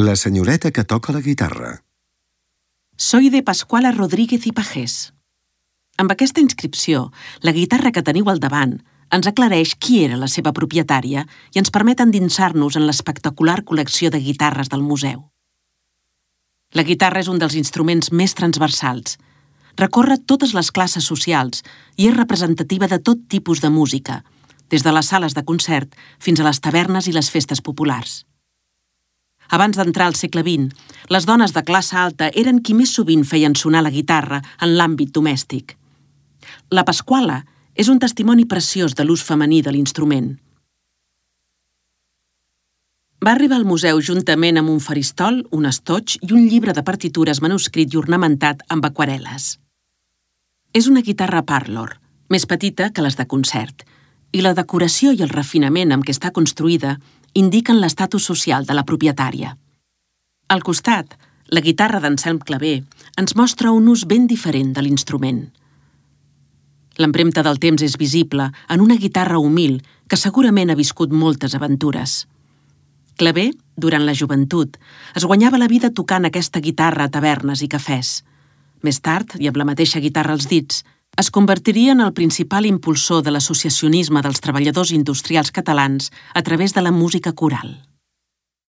La senyoreta que toca la guitarra. Soy de Pascuala Rodríguez i Pagès. Amb aquesta inscripció, la guitarra que teniu al davant ens aclareix qui era la seva propietària i ens permet endinsar-nos en l'espectacular col·lecció de guitarres del museu. La guitarra és un dels instruments més transversals. Recorre totes les classes socials i és representativa de tot tipus de música, des de les sales de concert fins a les tavernes i les festes populars. Abans d'entrar al segle XX, les dones de classe alta eren qui més sovint feien sonar la guitarra en l'àmbit domèstic. La Pascuala és un testimoni preciós de l'ús femení de l'instrument. Va arribar al museu juntament amb un faristol, un estoig i un llibre de partitures manuscrit i ornamentat amb aquarel·les. És una guitarra parlor, més petita que les de concert, i la decoració i el refinament amb què està construïda indiquen l'estatus social de la propietària. Al costat, la guitarra d'Anselm Clavé ens mostra un ús ben diferent de l'instrument. L'empremta del temps és visible en una guitarra humil que segurament ha viscut moltes aventures. Clavé, durant la joventut, es guanyava la vida tocant aquesta guitarra a tavernes i cafès. Més tard, i amb la mateixa guitarra als dits, es convertiria en el principal impulsor de l'associacionisme dels treballadors industrials catalans a través de la música coral.